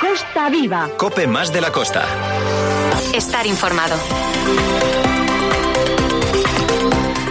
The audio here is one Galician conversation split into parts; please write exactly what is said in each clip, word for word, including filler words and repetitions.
Costa Viva. COPE más de la costa. Estar informado.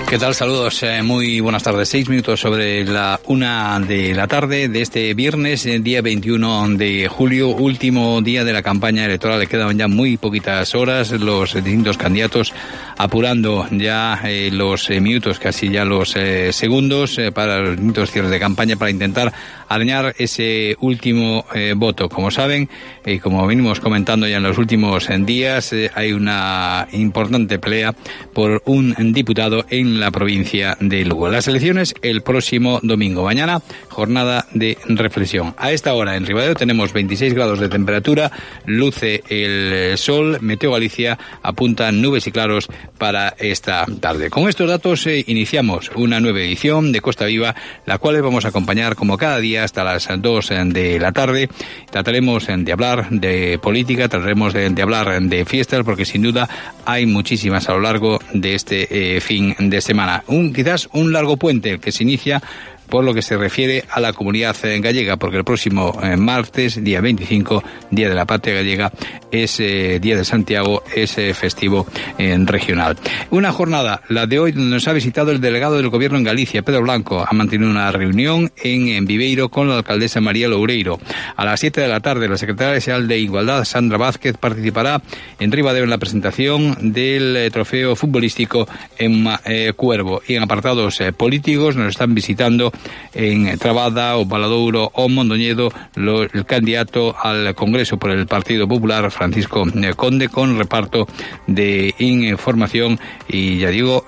¿Qué tal? Saludos, eh, muy buenas tardes. Seis minutos sobre la una de la tarde de este viernes, el día veintiuno de julio, último día de la campaña electoral. Le quedaban ya muy poquitas horas, los distintos candidatos apurando ya eh, los eh, minutos, casi ya los eh, segundos eh, para los distintos cierres de campaña para intentar arañar ese último eh, voto. Como saben, y eh, como venimos comentando ya en los últimos eh, días, eh, hay una importante pelea por un diputado en la provincia de Lugo. Las elecciones el próximo domingo. Mañana, jornada de reflexión. A esta hora en Ribadeo tenemos veintiséis grados de temperatura, luce el sol, Meteo Galicia apunta nubes y claros para esta tarde. Con estos datos eh, iniciamos una nueva edición de Costa Viva, la cual les vamos a acompañar como cada día hasta las dos de la tarde. Trataremos de hablar de política, trataremos de, de hablar de fiestas, porque sin duda hay muchísimas a lo largo de este eh, fin de semana. Un, quizás un largo puente que se inicia por lo que se refiere a la comunidad gallega, porque el próximo eh, martes, día veinticinco, Día de la Patria Gallega, es eh, Día de Santiago, es eh, festivo eh, regional. Una jornada, la de hoy, donde nos ha visitado el delegado del Gobierno en Galicia, Pedro Blanco. Ha mantenido una reunión en, en Viveiro con la alcaldesa María Loureiro. A las siete de la tarde, la secretaria general de Igualdad, Sandra Vázquez, participará en Ribadeo en la presentación del eh, trofeo futbolístico en eh, Cuervo. Y en apartados eh, políticos nos están visitando en Trabada, o Valadouro o Mondoñedo lo, el candidato al Congreso por el Partido Popular, Francisco Conde, con reparto de información y, ya digo,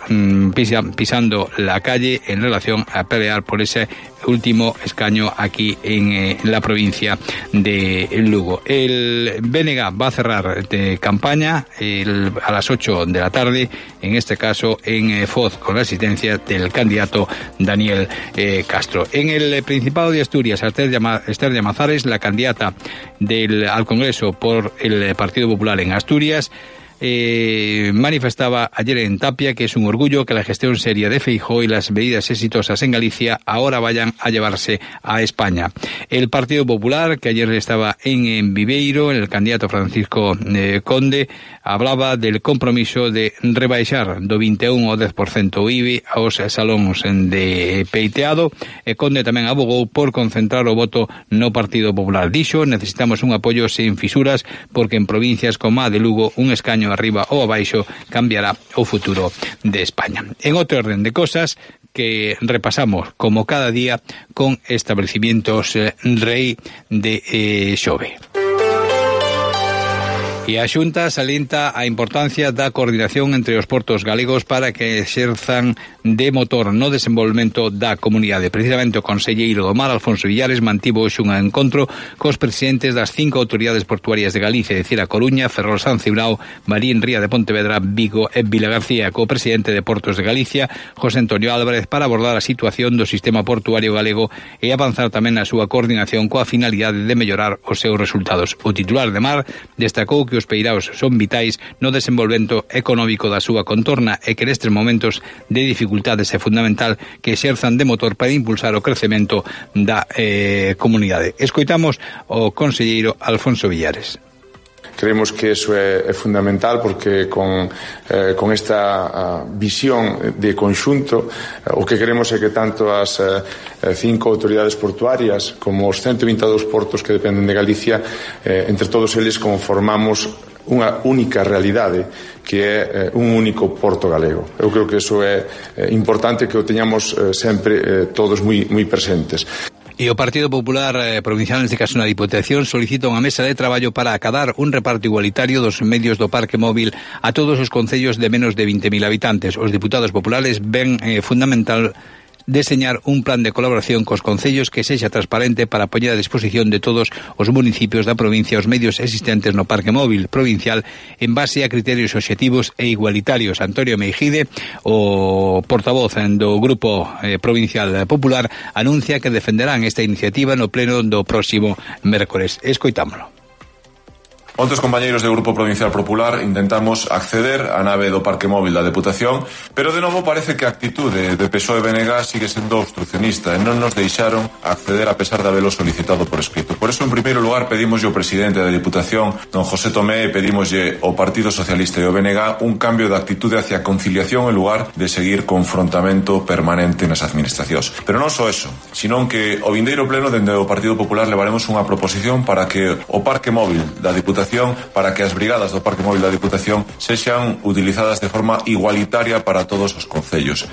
pisa, pisando la calle en relación a pelear por ese último escaño aquí en, eh, en la provincia de Lugo. El B N G va a cerrar de campaña el, a las ocho de la tarde, en este caso en eh, Foz, con la asistencia del candidato Daniel eh, Castro. En el Principado de Asturias, Esther Llamazares, la candidata del, al Congreso por el Partido Popular en Asturias, Eh, manifestaba ayer en Tapia que es un orgullo que la gestión seria de Feijóo y las medidas exitosas en Galicia ahora vayan a llevarse a España. El Partido Popular, que ayer estaba en, en Viveiro, el candidato Francisco eh, Conde, hablaba del compromiso de rebaixar do vinte e un ao dez por cento o I B I aos salóns de peiteado. E Conde tamén abogou por concentrar o voto no Partido Popular. Dixo, necesitamos un apoio sen fisuras, porque en provincias como a de Lugo un escaño arriba ou abaixo cambiará o futuro de España. En outro orden de cosas que repasamos como cada día con establecimientos eh, Rei de eh, Xove. E a Xunta salienta a importancia da coordinación entre os portos galegos para que exerzan de motor no desenvolvemento da comunidade. Precisamente o conselleiro do Mar, Alfonso Villares, mantivo hoxe un encontro cos presidentes das cinco autoridades portuarias de Galicia, é dicir, a Coruña, Ferrol, San Cibrao, Marín, Ría de Pontevedra, Vigo e Vilagarcía, co presidente de Portos de Galicia, José Antonio Álvarez, para abordar a situación do sistema portuario galego e avanzar tamén na súa coordinación coa finalidade de mellorar os seus resultados. O titular de Mar destacou que os peiraos son vitais no desenvolvemento económico da súa contorna e que nestes momentos de dificultades é fundamental que exerzan de motor para impulsar o crecemento da eh, comunidade. Escoitamos o conselleiro Alfonso Villares. Creemos que eso é, é fundamental porque con, eh, con esta uh, visión de conxunto uh, o que queremos é que tanto as uh, cinco autoridades portuarias como os ciento vinte e dous portos que dependen de Galicia, eh, entre todos eles conformamos unha única realidade que é eh, un único porto galego. Eu creo que eso é eh, importante que o teñamos eh, sempre eh, todos moi, moi presentes. E o Partido Popular eh, Provincial, neste caso na Diputación, solicita unha mesa de traballo para acadar un reparto igualitario dos medios do parque móvil a todos os concellos de menos de vinte mil habitantes. Os diputados populares ven eh, fundamental deseñar un plan de colaboración cos concellos que sexa transparente para poñer a disposición de todos os municipios da provincia os medios existentes no parque móvil provincial en base a criterios obxectivos e igualitarios. Antonio Meijide, o portavoz do Grupo eh, Provincial Popular, anuncia que defenderán esta iniciativa no pleno do próximo mércores. Escoitámolo. Onte os compañeiros do Grupo Provincial Popular intentamos acceder á nave do Parque Móvil da Deputación, pero de novo parece que a actitude de P S O E e B N G sigue sendo obstruccionista e non nos deixaron acceder a pesar de habelo solicitado por escrito. Por eso, en primeiro lugar, pedimos ao presidente da Deputación, don José Tomé, e pedimoslle ao Partido Socialista e ao B N G un cambio de actitude hacia a conciliación en lugar de seguir confrontamento permanente nas administracións. Pero non só eso, senón que o vindeiro pleno dende o Partido Popular levaremos unha proposición para que o Parque Móvil da Deputación, para que as brigadas do Parque Móvil da Diputación sexan utilizadas de forma igualitaria para todos os concellos.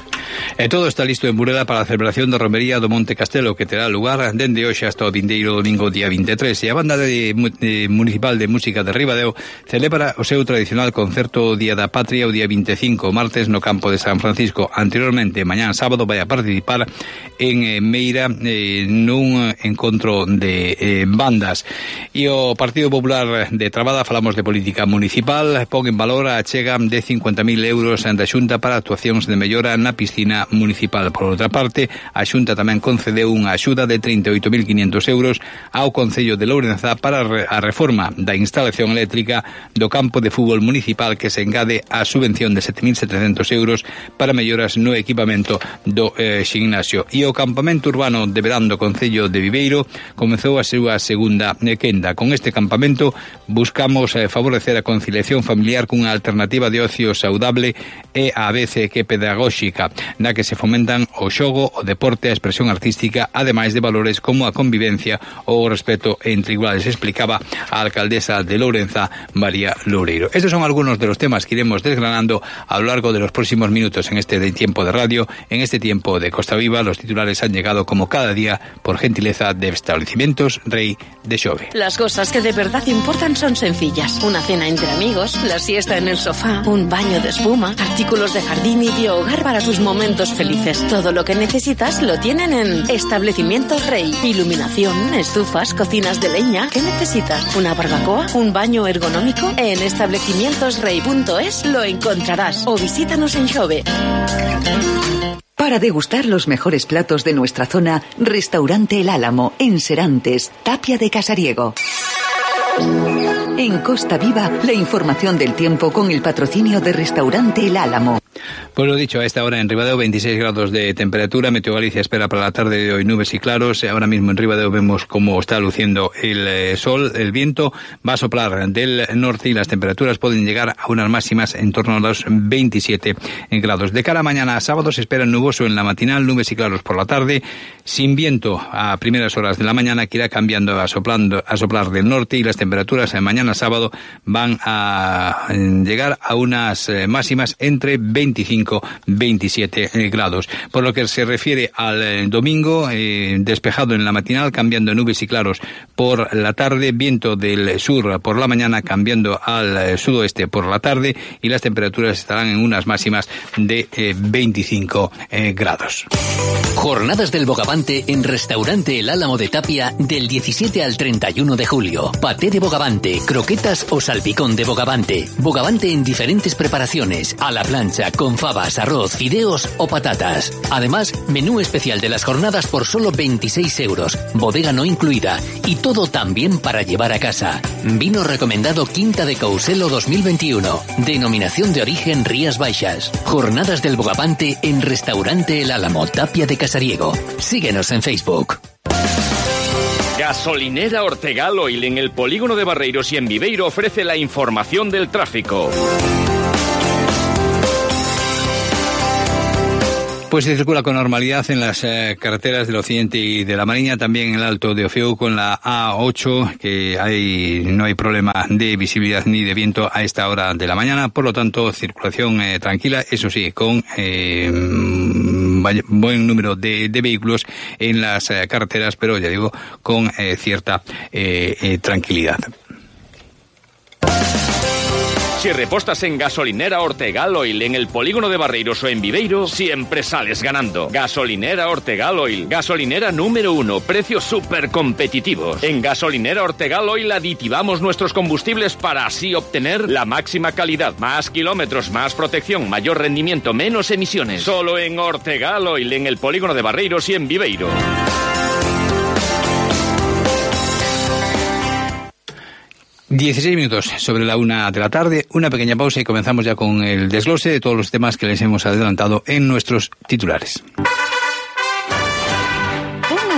E todo está listo en Burela para a celebración da romería do Monte Castelo, que terá lugar dende hoxe hasta o vindeiro domingo día vinte e tres, e a Banda de, de Municipal de Música de Ribadeo celebra o seu tradicional concerto Día da Patria o día vinte e cinco, martes, no campo de San Francisco. Anteriormente, mañán sábado, vai a participar en eh, Meira eh, nun encontro de eh, bandas. E o Partido Popular de Trabada, falamos de política municipal, pon en valor a achega de cincuenta mil euros da Xunta para actuacións de mellora na piscina municipal. Por outra parte, a Xunta tamén concedeu unha axuda de trinta e oito mil quinhentos euros ao Concello de Lourenza para a reforma da instalación eléctrica do campo de fútbol municipal, que se engade a subvención de sete mil setecentos euros para melloras no equipamento do eh, ximnasio. E o campamento urbano de verán do Concello de Viveiro comezou a súa segunda quenda. Con este campamento buscamos eh, favorecer a conciliación familiar cunha alternativa de ocio saudable e a vez que pedagóxica, na que se fomentan o xogo, o deporte, a expresión artística, ademais de valores como a convivencia ou o respeto entre iguales, explicaba a alcaldesa de Lourenza, María Loureiro. Estos son algunos de los temas que iremos desgranando a lo largo de los próximos minutos en este de tiempo de radio, en este tiempo de Costa Viva. Los titulares han llegado como cada día por gentileza de Establecimientos Rey de Xove. Las cosas que de verdad importan son sencillas. Una cena entre amigos, la siesta en el sofá, un baño de espuma, artículos de jardín y de hogar para tus momentos felices. Todo lo que necesitas lo tienen en Establecimientos Rey. Iluminación, estufas, cocinas de leña. ¿Qué necesitas? ¿Una barbacoa? ¿Un baño ergonómico? En establecimientos rey punto es lo encontrarás. O visítanos en Xove. Para degustar los mejores platos de nuestra zona, Restaurante El Álamo, en Serantes, Tapia de Casariego. En Costa Viva, la información del tiempo con el patrocinio de Restaurante El Álamo. Pues lo dicho, a esta hora en Ribadeo, veintiséis grados de temperatura. Meteo Galicia espera para la tarde de hoy nubes y claros. Ahora mismo en Ribadeo vemos cómo está luciendo el eh, sol. El viento va a soplar del norte y las temperaturas pueden llegar a unas máximas en torno a los veintisiete grados. De cara a mañana a sábado se espera nuboso en la matinal, nubes y claros por la tarde, sin viento a primeras horas de la mañana, que irá cambiando a, soplando, a soplar del norte, y las temperaturas en mañana sábado van a llegar a unas eh, máximas entre veinticinco y veintisiete grados. Por lo que se refiere al eh, domingo, eh, despejado en la matinal, cambiando nubes y claros por la tarde, viento del sur por la mañana, cambiando al eh, sudoeste por la tarde, y las temperaturas estarán en unas máximas de eh, veinticinco eh, grados. Jornadas del Bogavante en Restaurante El Álamo de Tapia del diecisiete al treinta y uno de julio. Paté de bogavante, croquetas o salpicón de bogavante. Bogavante en diferentes preparaciones, a la plancha, con fabas, arroz, fideos o patatas. Además, menú especial de las jornadas por solo veintiséis euros, bodega no incluida, y todo también para llevar a casa. Vino recomendado Quinta de Couselo dos mil veintiuno. Denominación de origen Rías Baixas. Jornadas del Bogavante en Restaurante El Álamo, Tapia de Casariego. Síguenos en Facebook. Gasolinera Ortegal Oil en el polígono de Barreiros y en Viveiro ofrece la información del tráfico. Pues se circula con normalidad en las eh, carreteras del Occidente y de la Mariña, también en el Alto de Ofeu con la A ocho, que hay, no hay problema de visibilidad ni de viento a esta hora de la mañana, por lo tanto circulación eh, tranquila, eso sí, con eh, buen número de, de vehículos en las eh, carreteras, pero ya digo, con eh, cierta eh, eh, tranquilidad. Si repostas en Gasolinera Ortegal Oil en el polígono de Barreiros o en Viveiro, siempre sales ganando. Gasolinera Ortegal Oil, gasolinera número uno, precios súper competitivos. En Gasolinera Ortegal Oil aditivamos nuestros combustibles para así obtener la máxima calidad, más kilómetros, más protección, mayor rendimiento, menos emisiones. Solo en Ortegal Oil en el polígono de Barreiros y en Viveiro. dieciséis minutos sobre la una de la tarde, una pequeña pausa y comenzamos ya con el desglose de todos los temas que les hemos adelantado en nuestros titulares.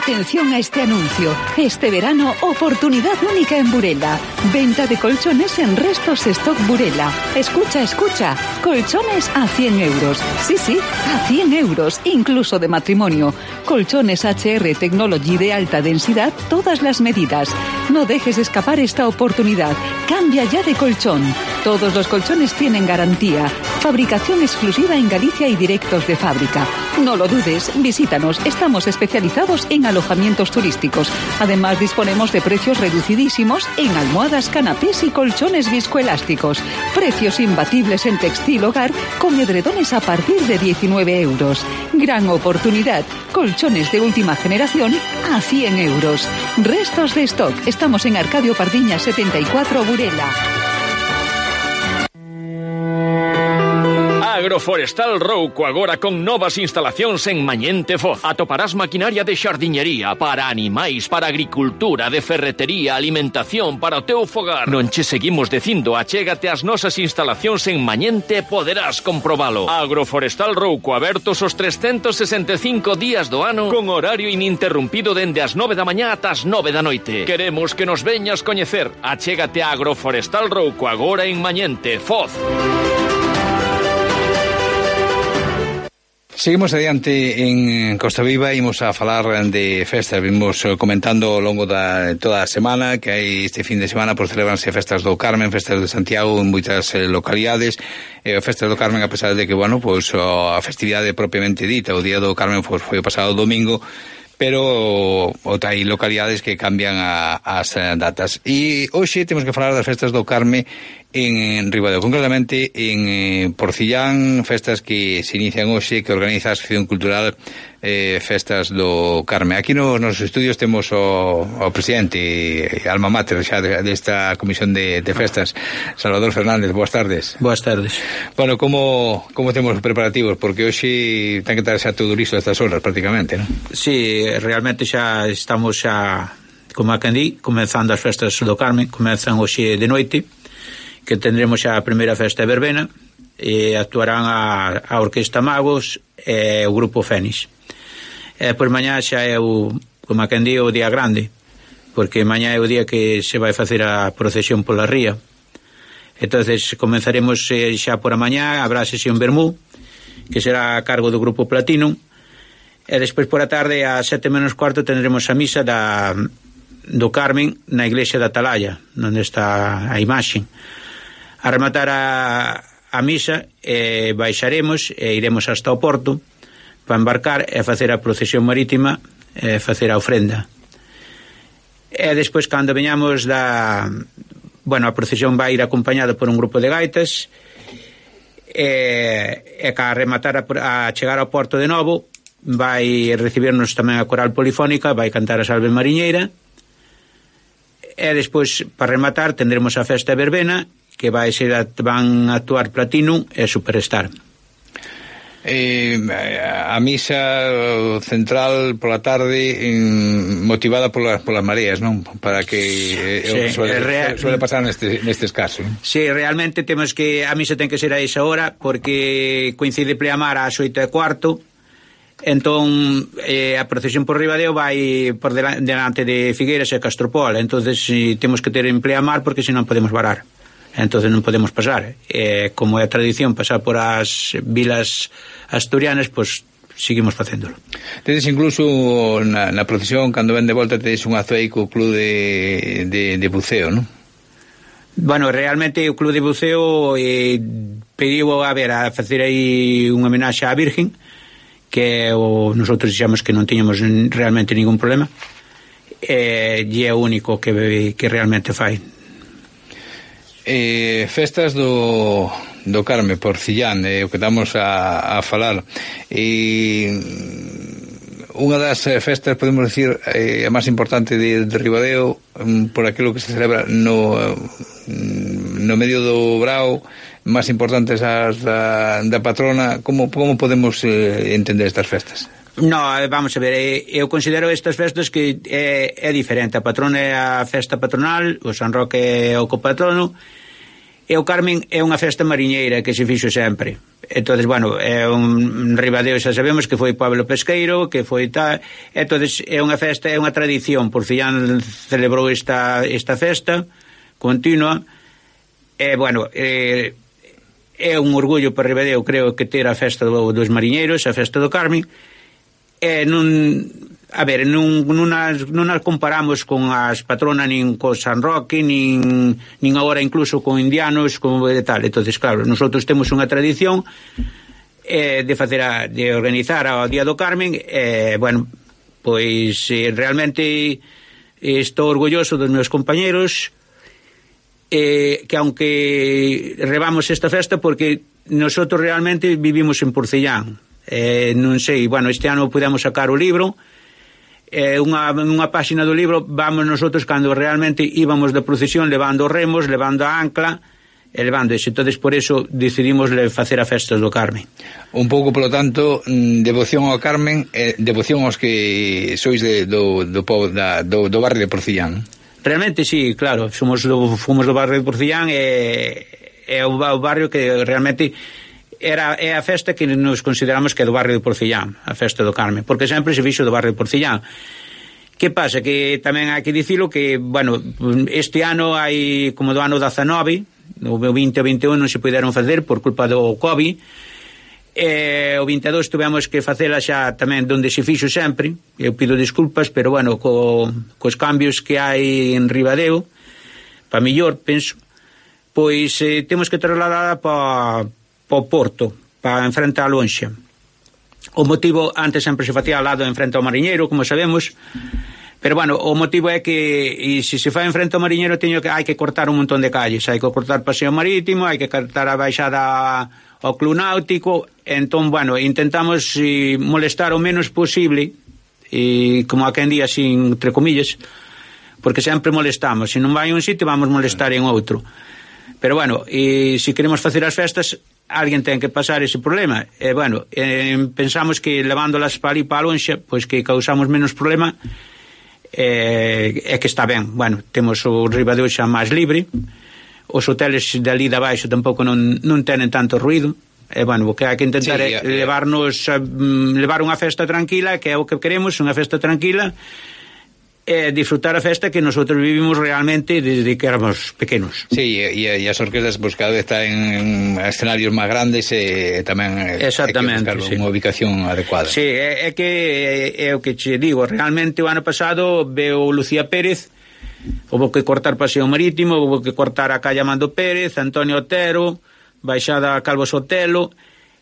Atención a este anuncio. Este verano, oportunidad única en Burela. Venta de colchones en Restos Stock Burela. Escucha, escucha. Colchones a cien euros. Sí, sí, a cien euros, incluso de matrimonio. Colchones H R Technology de alta densidad, todas las medidas. No dejes escapar esta oportunidad. Cambia ya de colchón. Todos los colchones tienen garantía. Fabricación exclusiva en Galicia y directos de fábrica. No lo dudes, visítanos. Estamos especializados en alojamientos turísticos. Además, disponemos de precios reducidísimos en almohadas, canapés y colchones viscoelásticos. Precios imbatibles en textil hogar con edredones a partir de diecinueve euros. Gran oportunidad. Colchones de última generación a cien euros. Restos de Stock. Estamos en Arcadio Pardiñas setenta y cuatro, Burela. Agroforestal Rouco agora con novas instalacións en Mañente Foz. Atoparás maquinaria de xardiñería para animais, para agricultura, de ferretería, alimentación, para o teu fogar. Non che seguimos dicindo, achégate ás nosas instalacións en Mañente e poderás comprobalo. Agroforestal Rouco, abertos os trescentos sesenta e cinco días do ano con horario ininterrumpido dende as nove da mañá ata as nove da noite. Queremos que nos veñas coñecer. Achégate a Agroforestal Rouco agora en Mañente Foz. Seguimos adiante en Costa Viva, imos a falar de festas. Vimos comentando ao longo da toda a semana que hai este fin de semana por celebranse festas do Carmen, festas de Santiago en moitas eh, localidades. Eh, festas do Carmen, a pesar de que, bueno, pois a festividade propiamente dita, o día do Carmen pois, foi o pasado domingo, pero outra hai localidades que cambian a, as datas. E hoxe temos que falar das festas do Carme en Ribadeo, concretamente en eh, Porcillán, festas que se inician hoxe, que organiza a Asociación Cultural eh, Festas do Carme. Aquí nos nosos estudios temos o, o presidente, alma mater xa desta comisión de, de festas, Salvador Fernández. Boas tardes. Boas tardes. Bueno, como, como temos os preparativos? Porque hoxe ten que estar xa todo listo a estas horas prácticamente, non? Sí, realmente xa estamos xa, como a Candí, comenzando as festas do Carme. Comezan hoxe de noite, que tendremos xa a primeira festa de verbena, e actuarán a, a Orquesta Magos e o Grupo Fénix. E por mañá xa é o, como a quen di, o día grande, porque mañá é o día que se vai facer a procesión pola ría. Entonces comenzaremos eh, xa por a mañá, habrá sesión vermú, que será a cargo do Grupo Platino, e despois por a tarde a sete menos cuarto tendremos a misa da, do Carmen na iglesia da Atalaya, onde está a imaxe. A rematar a, a misa eh, baixaremos e iremos hasta o porto para embarcar e facer a procesión marítima e facer a ofrenda. E despois, cando veñamos da... Bueno, a procesión vai ir acompañada por un grupo de gaitas e, e ca rematar a, a chegar ao porto de novo vai recibirnos tamén a coral polifónica, vai cantar a Salve Mariñeira, e despois, para rematar, tendremos a festa de verbena, que vai ser a, van a actuar Platino e Superstar. Eh, a misa central pola tarde en, motivada polas, polas mareas, non? Para que eh, sí, suele, real, suele pasar neste, nestes casos. Sí, realmente temos que a misa ten que ser a esa hora porque coincide pleamar ás oito e cuarto. Entón eh, a procesión por Ribadeo vai por delante de Figueiras e Castropol, entonces si, temos que ter en pleamar porque senón podemos varar, entonces non podemos pasar. Eh, como é a tradición pasar por as vilas asturianas, pois seguimos facéndolo. Tedes incluso na, na procesión, cando ven de volta, tedes un aceico club de, de, de buceo, non? Bueno, realmente o club de buceo eh, pediu a ver a facer aí unha homenaxe á Virgen, que o, nosotros dixemos que non tiñamos realmente ningún problema, e, e é o único que, que realmente fai. Eh, festas do, do Carme, Porcillán, eh, o que estamos a, a falar, e unha das festas, podemos decir, eh, a máis importante de, de Ribadeo, um, por aquilo que se celebra no, no medio do Brao, máis importantes as da, da patrona. Como, como podemos eh, entender estas festas? No, vamos a ver, eu considero estas festas que é, é diferente. A patrona é a festa patronal, o San Roque é o copatrono, e o Carmen é unha festa mariñeira que se fixo sempre. Entonces, bueno, é un Ribadeo, xa sabemos que foi pueblo pesqueiro, que foi tal. Entonces, é unha festa, é unha tradición. Porcillán celebrou esta, esta festa continua. E, bueno, é, é un orgullo para Ribadeo, creo, que ter a festa do, dos mariñeiros, a festa do Carmen. E non, a ver, non, non, as, non as comparamos con as patronas nin co San Roque, nin, nin agora incluso con indianos, como de tal. Entonces, claro, nosotros temos unha tradición eh, de facer a, de organizar o Día do Carmen. Eh, bueno, pois eh, realmente estou orgulloso dos meus compañeros, eh, que aunque rebamos esta festa, porque nosotros realmente vivimos en Porcellán. Eh, non sei, bueno, este ano podemos sacar o libro, eh, unha, unha páxina do libro vamos nosotros cando realmente íbamos de procesión levando remos, levando a ancla e levando eso. Entonces por eso decidimos facer a festa do Carmen. Un pouco, polo tanto, devoción ao Carmen, eh, devoción aos que sois de, do, do, da, do, do barrio de Porcellán. Realmente sí, claro, somos do, fomos do barrio de Porcellán, e é o, o barrio que realmente era, é a festa que nos consideramos que é do barrio de Porcellán, a festa do Carmen, porque sempre se fixo do barrio de Porcellán. Que pasa? Que tamén hai que dicilo que, bueno, este ano hai, como do ano dezanove, o vinte e vinte e un non se puderon facer por culpa do COVID, e o vinte e dous tuvemos que facela xa tamén donde se fixo sempre. Eu pido disculpas, pero bueno, co, cos cambios que hai en Ribadeo, pa millor, penso, pois eh, temos que trasladar pa para o Porto, para enfrente a Lonxa. O motivo, antes sempre se facía ao lado enfrente ao Mariñeiro, como sabemos, pero bueno, o motivo é que e se se fai enfrente ao Mariñeiro teño que hai que cortar un montón de calles, hai que cortar Paseo Marítimo, hai que cortar a baixada ao Club Náutico. Entón, bueno, intentamos e, molestar o menos posible, e como a quen día así, entre comillas, porque sempre molestamos, se non vai a un sitio vamos molestar en outro. Pero bueno, e se queremos facer as festas, alguén ten que pasar ese problema. E bueno, eh, pensamos que levándolas para ali para a Lonxa, pois que causamos menos problema, eh, é que está ben. Bueno, temos o Ribadeo xa máis libre, os hoteles de ali de abaixo tampouco non, non tenen tanto ruido. E bueno, o que hai que intentar sí, é levarnos a, levar unha festa tranquila, que é o que queremos, unha festa tranquila, e disfrutar a festa que nosotros vivimos realmente desde que éramos pequenos. Sí, e, e as orquestas pues, cada vez están en escenarios máis grandes e tamén exactamente, hai que buscar sí. unha ubicación adecuada. Sí, é, é que é, é o que che digo, realmente o ano pasado veo Lucía Pérez, houve que cortar Paseo Marítimo, houve que cortar a calle Amando Pérez, Antonio Otero, baixada a Calvo Sotelo,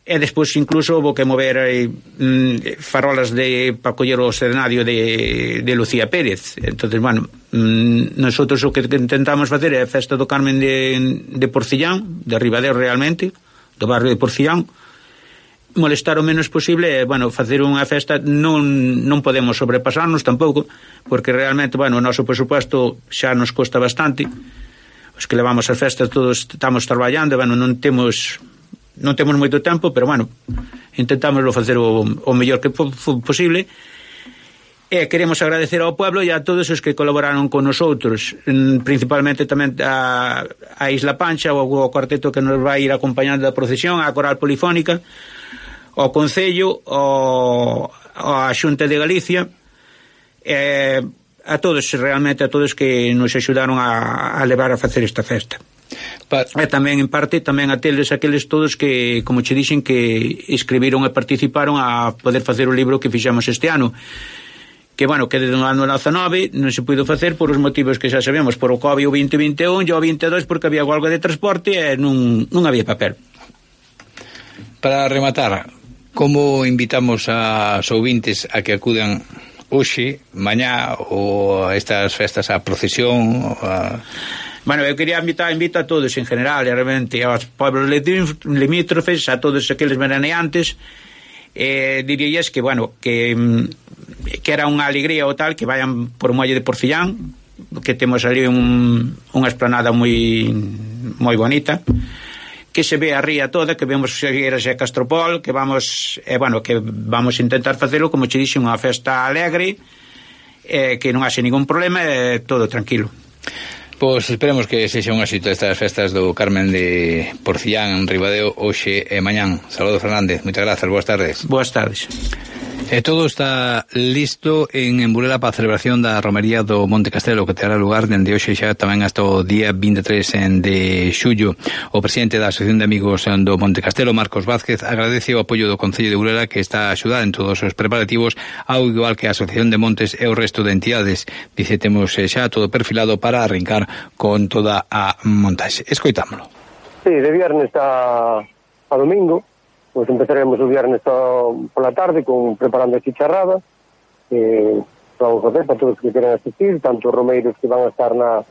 e despois incluso houve que mover eh, mm, farolas de para coller o escenario de, de Lucía Pérez. Entonces, bueno, mm, nosotros o que intentamos facer é a festa do Carmen de, de Porcellán, de Ribadeo realmente, do barrio de Porcellán, molestar o menos posible e, bueno, facer unha festa. Non, non podemos sobrepasarnos tampouco, porque realmente, bueno, o noso presupuesto xa nos costa bastante. Os que levamos as festas todos estamos traballando, bueno, non temos non temos moito tempo, pero bueno, intentámoslo facer o, o mellor que po, posible. E queremos agradecer ao pueblo e a todos os que colaboraron con nosotros, principalmente tamén a, a Isla Pancha, o, o cuarteto que nos vai ir acompañando da procesión, a Coral Polifónica, ao Concello, ao, a Xunta de Galicia, e a todos, realmente a todos que nos axudaron a, a levar a facer esta festa. Pa... E tamén en parte tamén a teles aqueles todos que, como che dixen, que escribiron e participaron a poder facer o libro que fixamos este ano, que bueno, que desde o ano dezanove non se puido facer por os motivos que xa sabemos, por o COVID o vinte vinte e un e o vinte e dous porque había algo de transporte e non, non había papel. Para rematar, como invitamos a ouvintes a que acudan hoxe, mañá ou estas festas a procesión a... Bueno, eu quería invitar, invito a todos en general, realmente, aos pueblos limítrofes, a todos aqueles veraneantes, eh, dirías que, bueno, que, que era unha alegría o tal, que vayan por o muelle de Porcellán, que temos ali un, unha esplanada moi moi bonita, que se ve a ría toda, que vemos Xegueiras e Castropol, que vamos, eh, bueno, que vamos a intentar facelo, como che dixen, unha festa alegre, eh, que non haxe ningún problema, eh, todo tranquilo. Pois esperemos que sexa un éxito estas festas do Carmen de Porcillán en Ribadeo hoxe e mañán. Saludos, Fernández, moitas grazas, boas tardes. Boas tardes. E todo está listo en Burela para a celebración da romería do Monte Castelo, que terá lugar dende hoxe xa tamén hasta o día vinte e tres de xullo. O presidente da Asociación de Amigos do Monte Castelo, Marcos Vázquez, agradece o apoio do Concello de Burela, que está a axudar en todos os preparativos, ao igual que a Asociación de Montes e o resto de entidades. Dice, temos xa todo perfilado para arrincar con toda a montaxe. Escoitámolo. Sí, de viernes a, a domingo, pues empezaremos o viernes pola tarde con preparando a chicharrada, que vamos a facer para todos os que queren asistir, tanto os romeiros que van a estar na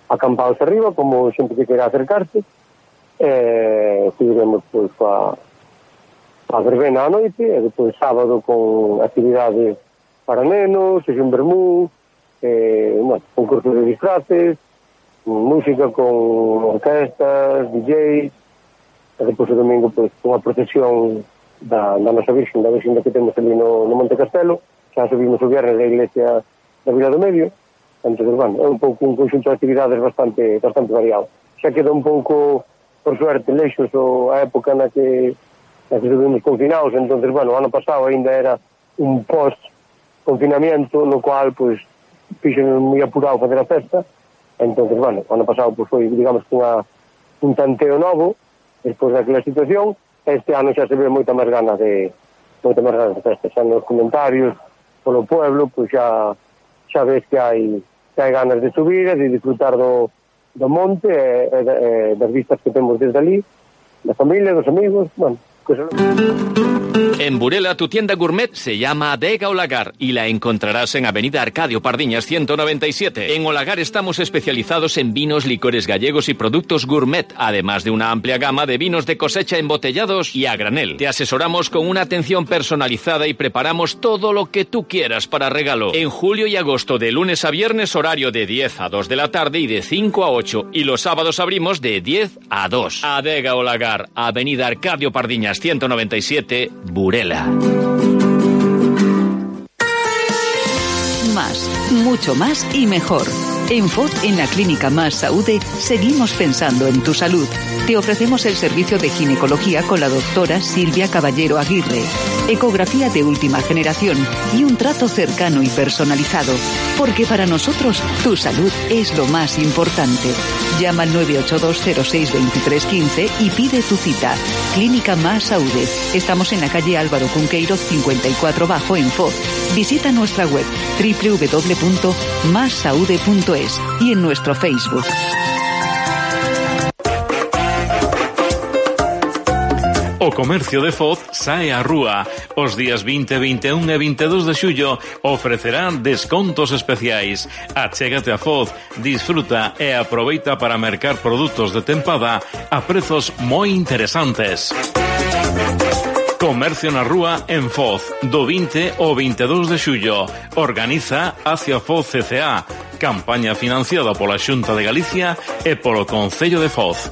acampados arriba, como xente que quera acercarse. Eh, seguiremos pues, a, a verbena a noite, e depois sábado con actividades para nenos, sesión vermú, eh, bueno, concurso de disfraces, música con orquestas, D Js, e depois o domingo, pois, unha procesión da, da nosa Virxen, da Virxen que temos ali no, no Monte Castelo. Xa subimos o viernes da iglesia da Vila do Medio. Entón, bueno, é un pouco un conxunto de actividades bastante bastante variado. Xa queda un pouco, por suerte, leixos o, a época na que, na que estuvimos confinados. Entón, bueno, o ano pasado ainda era un post-confinamiento, no cual, pois, fixen moi apurado fazer a festa. Entón, bueno, o ano pasado, pois, foi, digamos, unha, un tanteo novo, despois daquela situación. Este ano xa se ve moita máis ganas de moita máis ganas de festa, xa nos comentarios polo pueblo, pois xa xa ves que hai que hai ganas de subir e de disfrutar do, do monte e, e, e das vistas que temos desde ali, da familia, dos amigos, bueno, cosas. En Burela, tu tienda gourmet se llama Adega Olagar y la encontrarás en Avenida Arcadio Pardiñas ciento noventa y siete. En Olagar estamos especializados en vinos, licores gallegos y productos gourmet, además de una amplia gama de vinos de cosecha embotellados y a granel. Te asesoramos con una atención personalizada y preparamos todo lo que tú quieras para regalo. En julio y agosto, de lunes a viernes, horario de diez a dos de la tarde y de cinco a ocho. Y los sábados abrimos de diez a dos. Adega Olagar, Avenida Arcadio Pardiñas ciento noventa y siete, Burela. Más, mucho más y mejor. En F O D, en la Clínica Más Saúde, seguimos pensando en tu salud. Te ofrecemos el servicio de ginecología con la doctora Silvia Caballero Aguirre, ecografía de última generación y un trato cercano y personalizado. Porque para nosotros, tu salud es lo más importante. Llama al nueve ocho dos cero seis dos tres uno cinco y pide tu cita. Clínica Más Saúde. Estamos en la calle Álvaro Cunqueiro cincuenta y cuatro Bajo en F O D. Visita nuestra web doble u doble u doble u punto más saude punto es y en nuestro Facebook. O comercio de Foz sae á rúa. Os días vinte, vinte e un e vinte e dos de xullo ofrecerán descontos especiais. Achégate a Foz, disfruta e aproveita para mercar produtos de tempada a prezos moi interesantes. Comercio na rúa en Foz, do vinte ao vinte e dos de xullo. Organiza Hacia Foz C C A, campaña financiada pola Xunta de Galicia e polo Concello de Foz.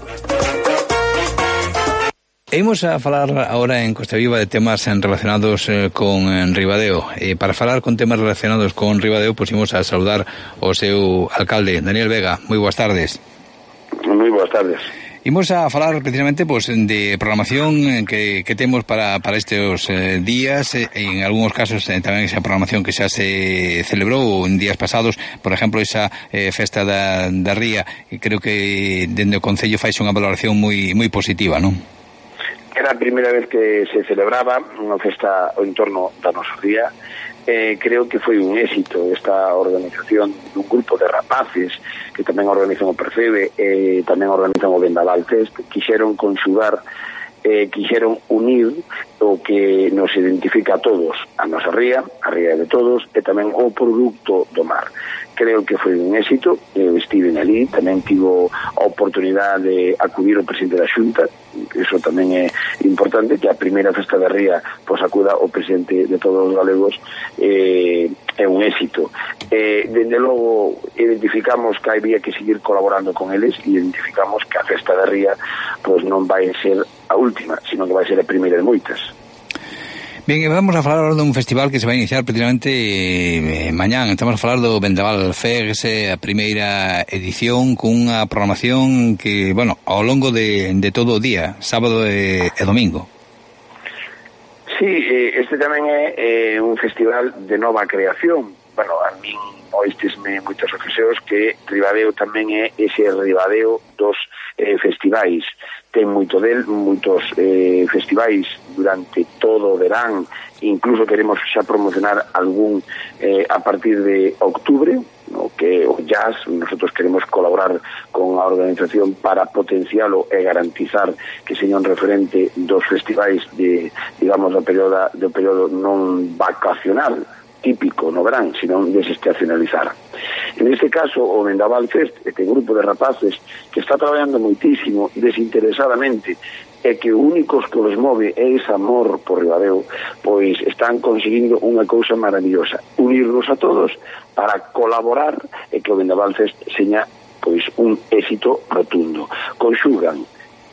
Imos a falar ahora en Costa Viva de temas relacionados eh, con en Ribadeo. Eh, para falar con temas relacionados con Ribadeo, pues imos a saludar o seu alcalde, Daniel Vega. Moi boas tardes. Moi boas tardes. Imos a falar precisamente pues, de programación que, que temos para, para estes eh, días, eh, en algúns casos eh, tamén esa programación que xa se celebrou en días pasados, por exemplo, esa eh, festa da, da Ría, e creo que dende o Concello faixe unha valoración moi moi positiva, non? Era a primeira vez que se celebraba unha festa ao entorno da nosa ría. Eh, creo que foi un éxito esta organización dun grupo de rapaces que tamén organizan o Percebe e tamén organizan o Vendaval Fest. Quixeron conxugar, eh, quixeron unir o que nos identifica a todos, a nosa ría, a ría de todos, e tamén o produto do mar. Creo que foi un éxito, eu estive ali, tamén tivo a oportunidade de acudir ao presidente da Xunta, iso tamén é importante, que a primeira festa da Ría pois acuda o presidente de todos os galegos, eh, é un éxito. Eh, dende logo, identificamos que había que seguir colaborando con eles e identificamos que a Festa da Ría pois non vai ser a última, sino que vai ser a primeira de moitas. Ben, vamos a falar dun festival que se vai iniciar prácticamente eh, mañán. Estamos a falar do Vendaval Fest, a primeira edición, cunha programación que, bueno, ao longo de, de todo o día, sábado e, e domingo. Sí, este tamén é eh, un festival de nova creación. Bueno, a min oístesme moitas ocasións que Ribadeo tamén é ese Ribadeo dos eh, festivais. Ten moito del, moitos eh, festivais durante todo o verán, incluso queremos xa promocionar algún eh, a partir de octubre, no, que o jazz, nosotros queremos colaborar con a organización para potencialo e garantizar que seña un referente dos festivais de, digamos, do período, do período non vacacional típico no verán, sino desestacionalizar. En este caso, o Vendaval Fest, este grupo de rapaces que está traballando moitísimo desinteresadamente e que o único que os move é ese amor por Ribadeo, pois están conseguindo unha cousa maravillosa, unirnos a todos para colaborar e que o Vendaval Fest seña pois un éxito rotundo. Conxugan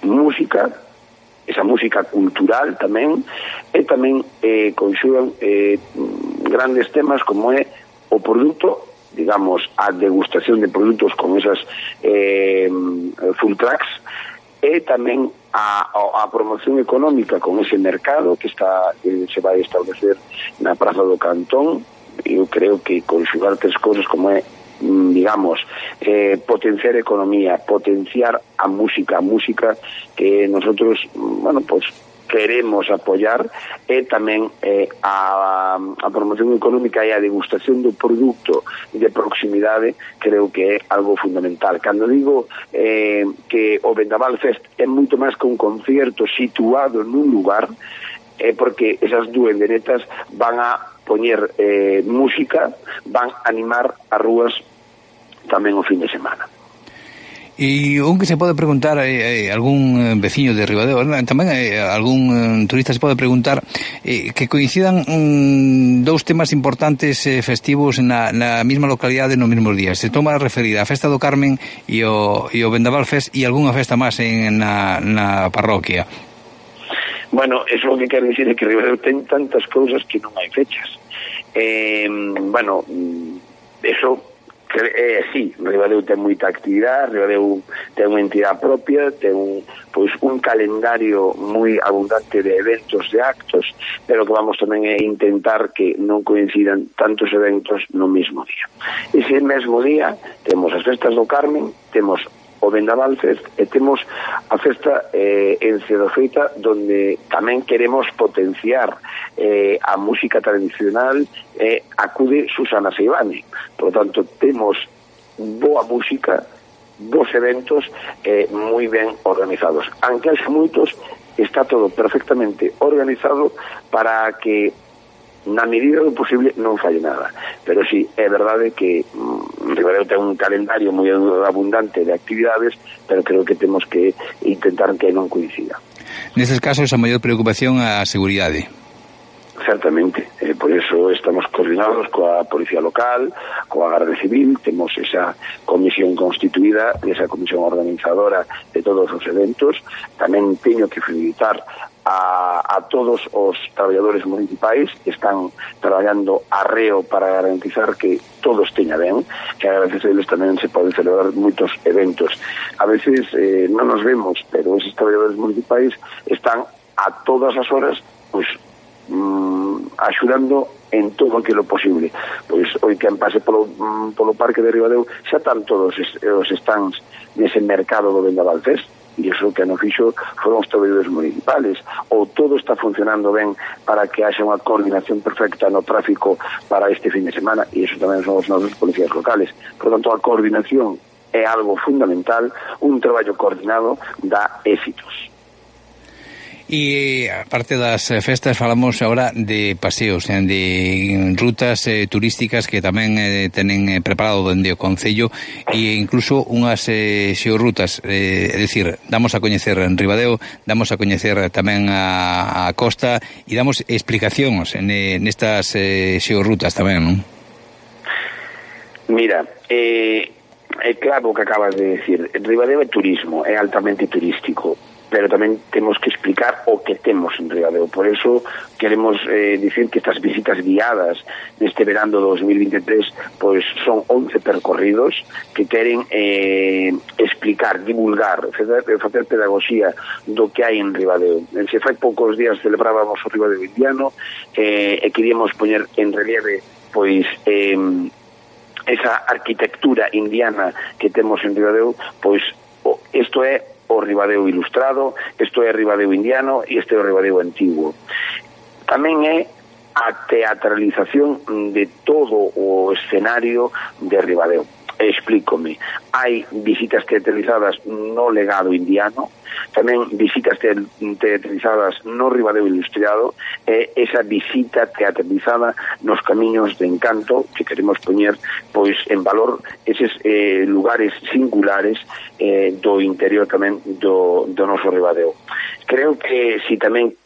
música, esa música cultural tamén, e tamén eh, conxugan eh, grandes temas como é o produto, digamos, a degustación de produtos con esas eh, full tracks, e tamén a, a, a promoción económica con ese mercado que está que se vai establecer na Praza do Cantón. Eu creo que conxugar tres cousas como é, digamos, eh, potenciar economía, potenciar a música, a música que nosotros, bueno, pues queremos apoiar, e tamén eh, a, a promoción económica e a degustación do produto de proximidade creo que é algo fundamental. Cando digo eh, que o Vendaval Fest é moito máis que un concierto situado nun lugar, é porque esas duenderetas van a poñer eh, música, van a animar as rúas tamén o fin de semana. E un que se pode preguntar, eh, algún veciño de Ribadeo, tamén eh, algún eh, turista se pode preguntar eh, que coincidan um, dous temas importantes eh, festivos na, na mesma localidade no mesmos días. Se toma referida a Festa do Carmen e o, e o Vendaval Fest e algunha festa máis en, na, na parroquia. Bueno, eso o que quero dicir é que Ribadeo ten tantas cousas que non hai fechas. Eh, bueno, eso é así. Ribadeo ten moita actividade, Ribadeo ten unha entidade propia, ten un, pois, un calendario moi abundante de eventos, de actos, pero que vamos tamén a intentar que non coincidan tantos eventos no mesmo día. Ese mesmo día temos as festas do Carmen, temos o Vendaval Fest e temos a festa eh, en Cedofeita, donde tamén queremos potenciar eh, a música tradicional, eh, acude Susana Seivane. Por lo tanto, temos boa música, bons eventos eh, moi ben organizados. Aunque haxe moitos, está todo perfectamente organizado para que na medida do posible non falle nada. Pero sí, é verdade que mm, Ribadeo ten un calendario moi abundante de actividades, pero creo que temos que intentar que non coincida. Nestes casos, a maior preocupación a seguridade. Certamente, eh, por eso estamos coordinados coa Policía Local, coa Garda Civil, temos esa comisión constituída, esa comisión organizadora de todos os eventos. Tamén teño que felicitar A, a todos os traballadores municipais que están traballando arreo para garantizar que todos teña ben, que a veces eles tamén se poden celebrar moitos eventos. A veces eh, non nos vemos, pero esos traballadores municipais están a todas as horas pois mm, axudando en todo aquilo posible. Pois hoy quen pase polo, mm, polo Parque de Ribadeo xa están todos es, os stands nese mercado do Vendaval Fest, e iso que non fixo foron os traballadores municipales. Ou todo está funcionando ben para que haxa unha coordinación perfecta no tráfico para este fin de semana, e iso tamén son os nosos policías locales. Por tanto, a coordinación é algo fundamental, un traballo coordinado dá éxitos. E aparte das festas, falamos agora de paseos, de rutas eh, turísticas que tamén eh, tenen eh, preparado dende o Concello, e incluso unhas eh, xeorrutas, eh, é dicir, damos a coñecer en Ribadeo, damos a coñecer tamén a, a costa, e damos explicacións en, nestas eh, xeorrutas tamén, non? Mira, eh, é claro o que acabas de decir. Ribadeo é turismo, é altamente turístico, pero tamén temos que explicar o que temos en Ribadeo. Por eso queremos eh, dicir que estas visitas guiadas neste verano dos mil veintitrés pois son once percorridos que queren eh, explicar, divulgar, facer, facer pedagogía do que hai en Ribadeo. Se fai poucos días celebrábamos o Ribadeo indiano eh, e queríamos poñer en relieve pois eh, esa arquitectura indiana que temos en Ribadeo, pois isto é o Ribadeo ilustrado, isto é o Ribadeo indiano e este é o Ribadeo antigo. Tamén é a teatralización de todo o escenario de Ribadeo. Explícome. Hai visitas teatralizadas no legado indiano, tamén visitas teatralizadas no Ribadeo ilustrado, e esa visita teatralizada nos camiños de encanto que queremos poñer pois en valor eses eh, lugares singulares eh, do interior tamén do, do noso Ribadeo. Creo que si tamén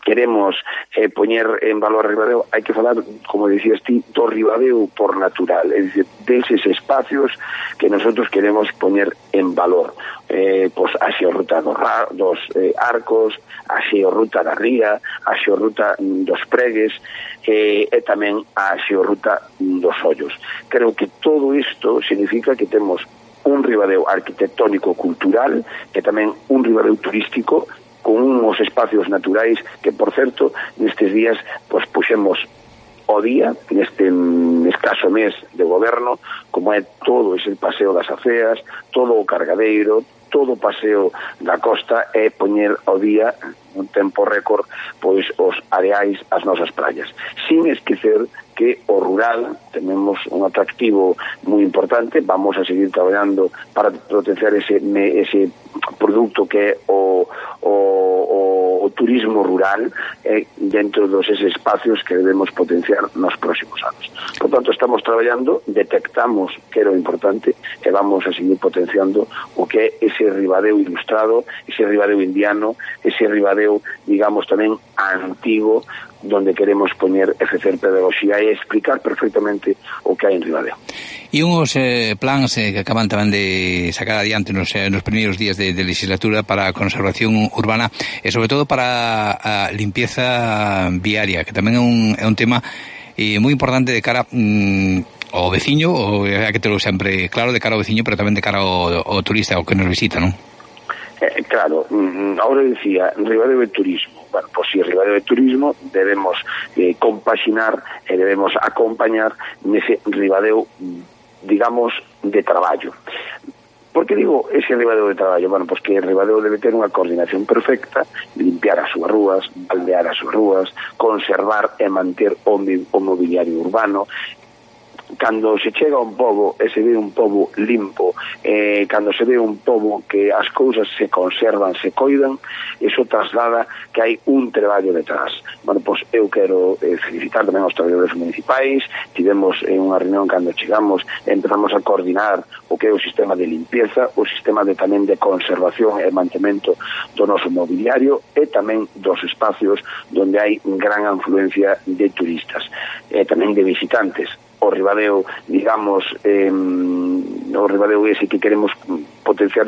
queremos eh, poñer en valor Ribadeo, hai que falar, como dicías ti, do Ribadeo por natural, é dicir, deses espacios que nosotros queremos poñer en valor. Eh, pois a xeorruta dos, dos eh, arcos, a xeorruta da ría, a xeorruta dos pregues eh, e tamén a xeorruta dos ollos. Creo que todo isto significa que temos un Ribadeo arquitectónico cultural e tamén un Ribadeo turístico con uns espacios naturais que, por certo, nestes días pois puxemos o día, neste escaso mes de goberno, como é todo ese paseo das aceas, todo o cargadeiro, todo o paseo da costa, é poñer ao día un tempo récord pois os areais, as nosas praias, sin esquecer que o rural tenemos un atractivo moi importante. Vamos a seguir traballando para potenciar ese, ese produto que é o, o, o, o turismo rural eh, dentro dos eses espacios que debemos potenciar nos próximos anos. Por tanto, estamos traballando, detectamos que era o importante e vamos a seguir potenciando o que é ese Ribadeo ilustrado, ese Ribadeo indiano, ese Ribadeo, digamos, tamén antigo, donde queremos poñer e facer pedagogía e explicar perfectamente o que hai en Ribadeo. E uns eh, plans eh, que acaban tamén de sacar adiante nos, eh, nos primeiros días de, de legislatura para a conservación urbana e sobre todo para a limpieza viaria, que tamén é un, é un tema eh, moi importante de cara mm, ao veciño, ou hai que terlo sempre claro, de cara ao veciño, pero tamén de cara ao, ao turista, ao que nos visita, non? Eh, claro, ahora decía, Ribadeo é turismo. Bueno, pois si Ribadeo é turismo, debemos eh, compaxinar e debemos acompañar nese Ribadeo, digamos, de traballo. Por que digo ese Ribadeo de traballo? Bueno, pois que Ribadeo debe ter unha coordinación perfecta, limpiar as súas rúas, baldear as súas rúas, conservar e manter o, o mobiliario urbano. Cando se chega a un pobo e se ve un pobo limpo, eh, cando se ve un pobo que as cousas se conservan, se coidan, iso traslada que hai un traballo detrás. Bueno, pois eu quero eh, felicitar tamén aos traballadores municipais. Tivemos en unha reunión cando chegamos, empezamos a coordinar o que é o sistema de limpieza, o sistema de tamén de conservación e mantemento do noso mobiliario e tamén dos espacios onde hai gran afluencia de turistas e tamén de visitantes. O Ribadeo, digamos, eh, o Ribadeo ese que queremos potenciar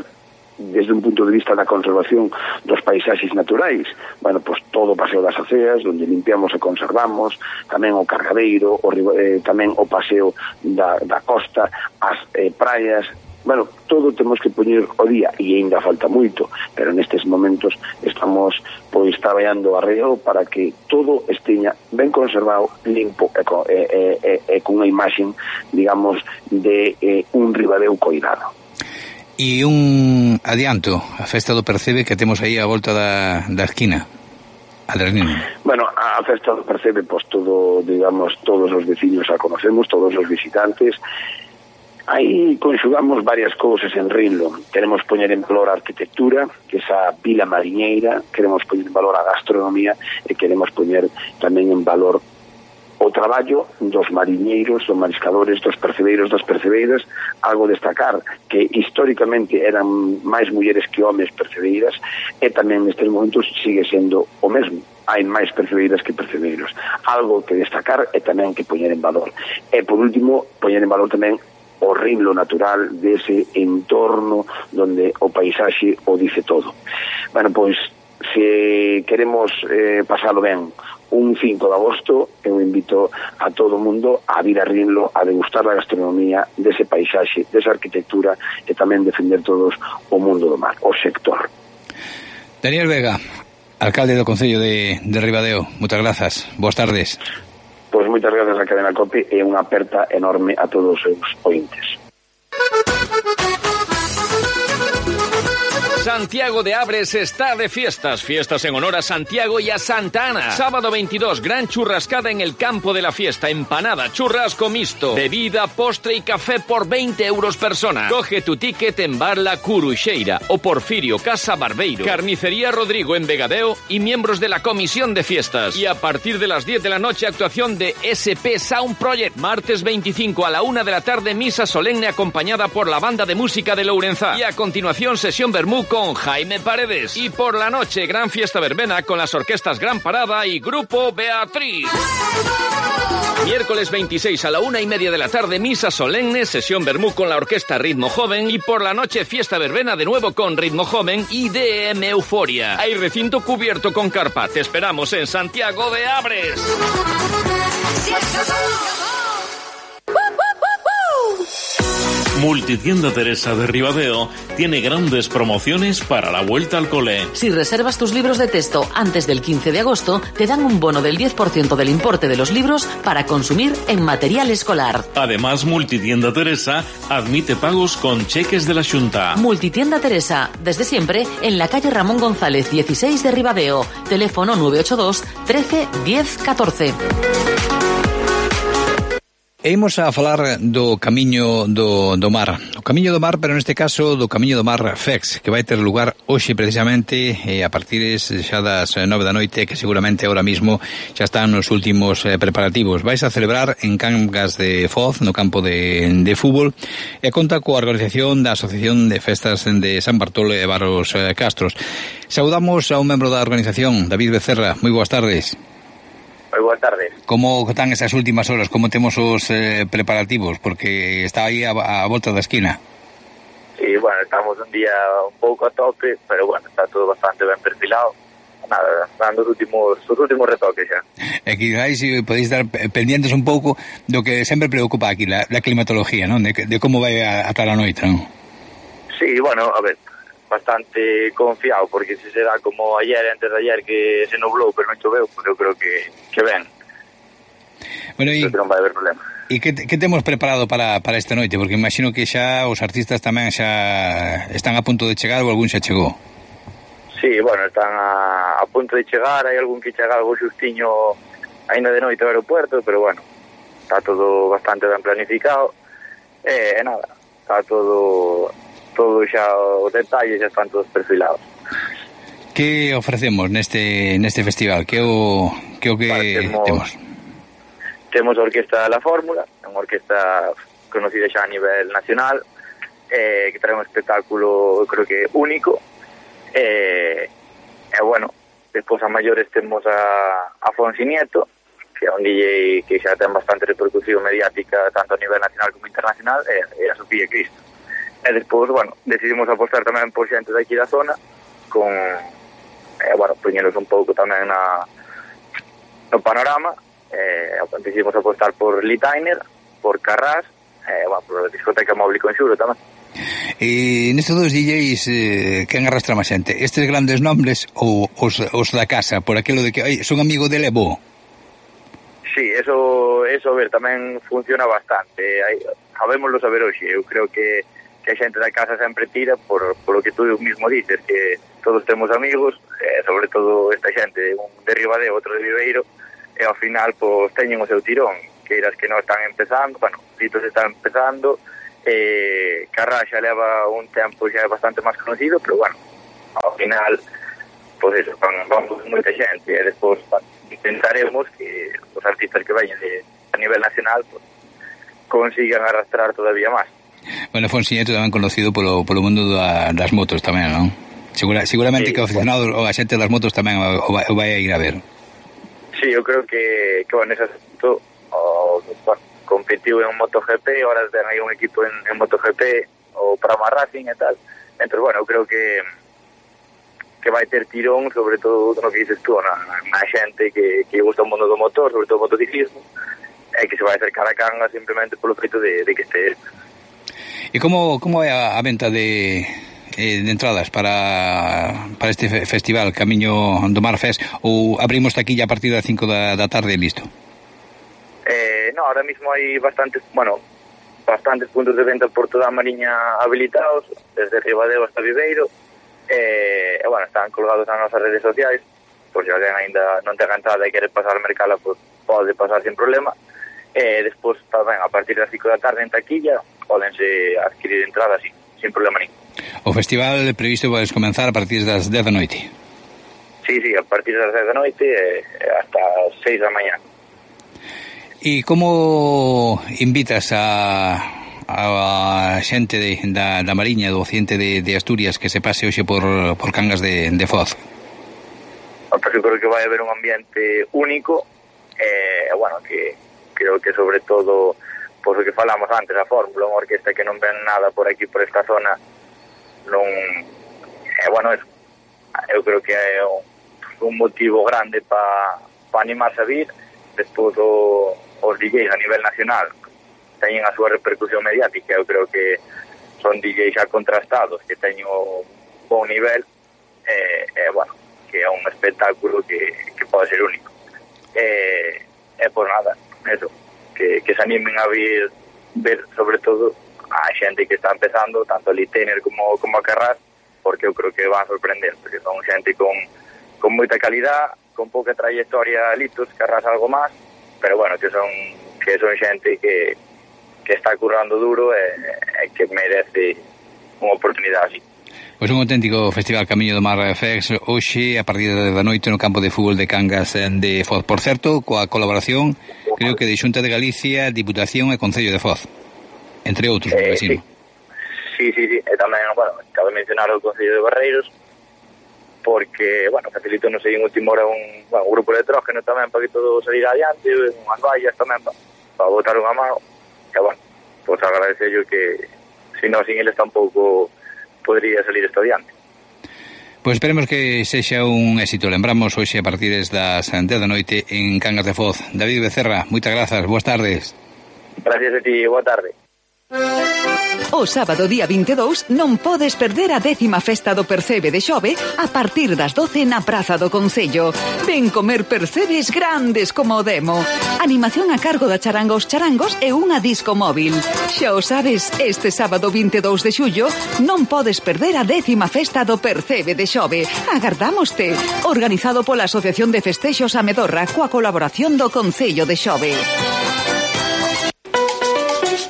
desde un punto de vista da conservación dos paisaxes naturais. Bueno, pois todo o paseo das aceas, onde limpiamos e conservamos, tamén o cargadeiro, o, eh, tamén o paseo da, da costa, as eh, praias. Bueno, todo temos que poñer o día e ainda falta moito, pero nestes momentos estamos pois traballando arreo para que todo esteña ben conservado, limpo e, e, e, e con unha imaxe, digamos, de eh, un Ribadeo coidado. E un adianto, a festa do Percebe que temos aí a volta da, da esquina. Bueno, a festa do Percebe, pois todo, digamos, todos os veciños a conocemos, todos os visitantes. Aí conxugamos varias cousas en Rinlo. Queremos poñer en valor a arquitectura, que esa vila mariñeira, queremos poñer en valor a gastronomía e queremos poñer tamén en valor o traballo dos mariñeiros, dos mariscadores, dos percebeiros, das percebeiras. Algo destacar que históricamente eran máis mulleres que homes percebeiras e tamén nestes momentos sigue sendo o mesmo. Hai máis percebeiras que percebeiros. Algo que destacar e tamén que poñer en valor. E por último, poñer en valor tamén horrible natural dese entorno donde o paisaxe o dice todo. Bueno, pois, se queremos eh, pasalo ben un cinco de agosto, eu invito a todo o mundo a vir a Rinlo a degustar a gastronomía dese paisaxe, desa arquitectura e tamén defender todos o mundo do mar, o sector. Daniel Vega, alcalde do Concello de, de Ribadeo, moitas grazas, boas tardes. Pois moitas grazas a Cadena COPE e unha aperta enorme a todos os seus ointes. Santiago de Abres está de fiestas. Fiestas en honor a Santiago y a Santa Ana. Sábado veintidós, gran churrascada en el campo de la fiesta. Empanada, churrasco mixto, bebida, postre y café por veinte euros persona. Coge tu ticket en Bar La Curuxeira o Porfirio Casa Barbeiro. Carnicería Rodrigo en Vegadeo y miembros de la comisión de fiestas. Y a partir de las diez de la noche, actuación de S P Sound Project. Martes veinticinco a la una de la tarde, misa solemne acompañada por la banda de música de Lourenzá. Y a continuación, sesión vermú con Jaime Paredes. Y por la noche, gran fiesta verbena con las orquestas Gran Parada y Grupo Beatriz. Miércoles veintiséis a la una y media de la tarde, misa solemne, sesión vermú con la orquesta Ritmo Joven. Y por la noche, fiesta verbena de nuevo con Ritmo Joven y D M Euforia. Hay recinto cubierto con carpa. Te esperamos en Santiago de Abres. Multitienda Teresa de Ribadeo tiene grandes promociones para la vuelta al cole. Si reservas tus libros de texto antes del quince de agosto, te dan un bono del diez por ciento del importe de los libros para consumir en material escolar. Además, Multitienda Teresa admite pagos con cheques de la Xunta. Multitienda Teresa, desde siempre, en la calle Ramón González dieciséis de Ribadeo. Teléfono nueve ocho dos, trece, diez, catorce. E imos a falar do Camiño do, do Mar. O Camiño do Mar, pero neste caso do Camiño do Mar Fex, que vai ter lugar hoxe precisamente eh, a partir xa das nove da noite, que seguramente ahora mismo xa están nos últimos eh, preparativos. Vais a celebrar en Cangas de Foz, no campo de, de fútbol, e conta coa organización da Asociación de Festas de San Bartolo e Baros eh, Castros. Saudamos a un membro da organización, David Becerra. Moi boas tardes. Moi boas tardes. Como están esas últimas horas? Como temos os eh, preparativos? Porque está aí a, a volta da esquina. Sí, bueno, estamos un día un pouco a tope, pero bueno, está todo bastante ben perfilado. Nada, dando os últimos, os últimos retoques xa. E que aí si podéis estar pendientes un pouco do que sempre preocupa aquí, la, la climatología, non? De, de como vai a, a tal a noite, non? Sí, bueno, a ver, bastante confiado, porque se será como ayer, antes de ayer, que se nublou, pero non choveu, pues eu creo que, que ben. Bueno, e non vai haber problema. E que, que temos preparado para, para esta noite? Porque imagino que xa os artistas tamén xa están a punto de chegar ou algún xa chegou. Sí, bueno, están a, a punto de chegar, hai algún que chega algo xustiño ainda de noite ao aeropuerto, pero bueno, está todo bastante ben planificado, e eh, nada, está todo... todo xa os detalles xa están todos perfilados. Que ofrecemos neste neste festival? Que o que o que vale, temos, temos? Temos a Orquesta La Fórmula, unha orquesta conocida xa a nivel nacional, eh, que trae un espectáculo, creo que único, e eh, eh, bueno, despois a maiores temos a, a Fonsi Nieto, que é un D J que xa ten bastante repercusión mediática tanto a nivel nacional como internacional, e, e a Sofía Cristo. E despois, bueno, decidimos apostar tamén por xente daqui da zona, con, eh, bueno, poñeros un pouco tamén na, no panorama, eh, decidimos apostar por Litainer, por Carrás, eh, bueno, por a discoteca móvil con Xuro tamén. E nestes dos D Js, eh, quen arrastra máis xente? Estes grandes nombres ou os, os da casa, por aquilo de que, ai, son amigo dele, bo? Sí, eso, eso, a ver, tamén funciona bastante. Hai, sabémoslo saber hoxe, eu creo que que a xente da casa sempre tira por, por lo que tú mismo dices, que todos temos amigos, eh, sobre todo esta xente, un de Ribadeo, outro de Viveiro, e ao final, pois, teñen o seu tirón, que eras que non están empezando, bueno, Litos está empezando, eh, Carrá xa leva un tempo xa bastante máis conocido, pero bueno, ao final, pois eso, van, vamos moita xente, e despois, bueno, intentaremos que os artistas que vayan de, a nivel nacional, pues, consigan arrastrar todavía máis. Bueno, Fonsi Nieto tamén conocido polo, polo mundo da, das motos tamén, non? Segura, seguramente sí, que o aficionado ou a xente das motos tamén o, o vai a ir a ver. Sí, eu creo que, que bueno, ese asunto, o, bueno, competiu en MotoGP, ahora ten aí un equipo en, en MotoGP, o Prama Racing e tal. Entón, bueno, eu creo que que vai ter tirón, sobre todo no que dices tú, na, na xente que, que gusta o mundo do motor, sobre todo o motociclismo, e que se vai acercar a Cangas simplemente polo feito de, de que este. E como, como é a, a venta de, eh, de entradas para, para este festival Camiño do Mar Fest, ou abrimos taquilla a partir das cinco da, da tarde e listo? Eh, no, ahora mismo hai bastantes, bueno, bastantes puntos de venta por toda a Mariña habilitados, desde Ribadeo hasta Viveiro, e, eh, bueno, están colgados nas nosas redes sociais, por se alguén ainda non ten entrada e quere pasar al mercado, pues, pode pasar sin problema. E eh, despois tamén a partir das cinco da tarde en taquilla pódense adquirir entradas sin, sin problema ningún. O festival previsto podes comenzar a partir das dez da noite? Sí, sí, a partir das dez da noite e hasta as seis da mañá. E como invitas a a xente de, da, da Mariña, do occidente de, de Asturias, que se pase hoxe por, por Cangas de, de Foz? Pues eu creo que vai haber un ambiente único, e, eh, bueno, que creo que sobre todo, por o que falamos antes, a Fórmula, unha orquesta que non ven nada por aquí, por esta zona, non, eh, bueno, es, eu creo que é un, un motivo grande para pa animarse a vir. Despois o, os D Js a nivel nacional teñen a súa repercusión mediática, eu creo que son D Js xa contrastados, que teñen un bon nivel, e, eh, eh, bueno, que é un espectáculo que, que pode ser único. E, eh, por nada, eso, que, que se animen a vir, ver sobre todo a xente que está empezando, tanto a Litener como, como a Carras, porque eu creo que van a sorprender, porque son xente con, con moita calidad, con pouca trayectoria litos, Carras algo máis, pero bueno, que son que son xente que que está currando duro e, e que merece unha oportunidade así. Pois un auténtico festival Camiño do Mar Fest hoxe a partir da noite no campo de fútbol de Cangas de Foz. Por certo, coa colaboración, creo que de Xunta de Galicia, Diputación e Concello de Foz, entre outros, eh, vecino. Sí, sí, sí, e tamén, bueno, cabe mencionar o Concello de Barreiros, porque, bueno, facilito non sei en última hora un, bueno, un grupo de electrógeno tamén para que todo salir adiante, unhas vallas tamén para, para botar unha mano. E, bueno, pues agradecer yo que si no, sin eles tampouco podría salir esto adiante. Pois esperemos que sexa un éxito. Lembramos hoxe a partir das dez da noite en Cangas de Foz. David Becerra, moitas grazas, boas tardes. Gracias a ti, boa tarde. O sábado día vinte e dous non podes perder a décima festa do Percebe de Xove a partir das doce na Praza do Concello. Ven comer percebes grandes como o demo. Animación a cargo da Charangos Charangos e unha disco móvil. Xa o sabes, este sábado vinte e dous de xullo non podes perder a décima festa do Percebe de Xove. Agardámoste. Organizado pola Asociación de Festexos Amedorra coa colaboración do Concello de Xove.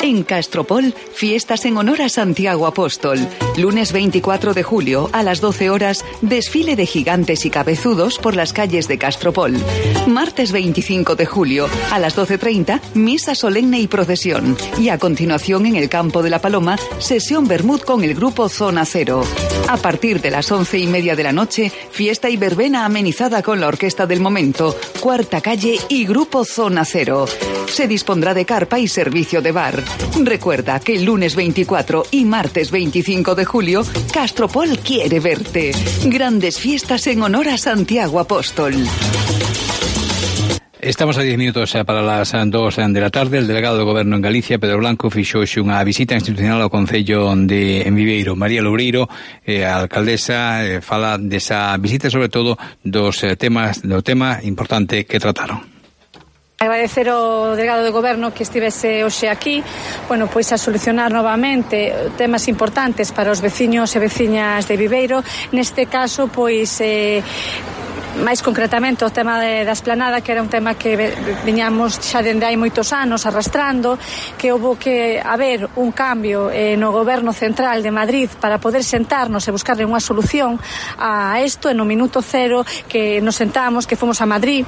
En Castropol, fiestas en honor a Santiago Apóstol. Lunes veinticuatro de julio, a las doce horas, desfile de gigantes y cabezudos por las calles de Castropol. Martes veinticinco de julio, a las doce treinta, misa solemne y procesión. Y a continuación, en el Campo de la Paloma, sesión Bermud con el grupo Zona Cero. A partir de las once y media de la noche, fiesta y verbena amenizada con la orquesta del momento, Cuarta Calle y grupo Zona Cero. Se dispondrá de carpa y servicio de bar. Recuerda que el lunes veinticuatro y martes veinticinco de julio, Castropol quiere verte. Grandes fiestas en honor a Santiago Apóstol. Estamos a diez minutos para las dos de la tarde. El delegado do Goberno en Galicia, Pedro Blanco, fixo unha visita institucional ao Concello de en Viveiro. María Loureiro, eh, a alcaldesa, eh, fala desa visita, sobre todo dos eh, temas, do tema importante que trataron. Agradecer ao delegado do Goberno que estivese hoxe aquí, bueno, pois a solucionar novamente temas importantes para os veciños e veciñas de Viveiro. Neste caso, pois eh, máis concretamente o tema de, da esplanada, que era un tema que viñamos xa dende hai moitos anos arrastrando, que houve que haber un cambio eh, no Goberno Central de Madrid para poder sentarnos e buscarle unha solución a isto. En no minuto cero que nos sentamos, que fomos a Madrid,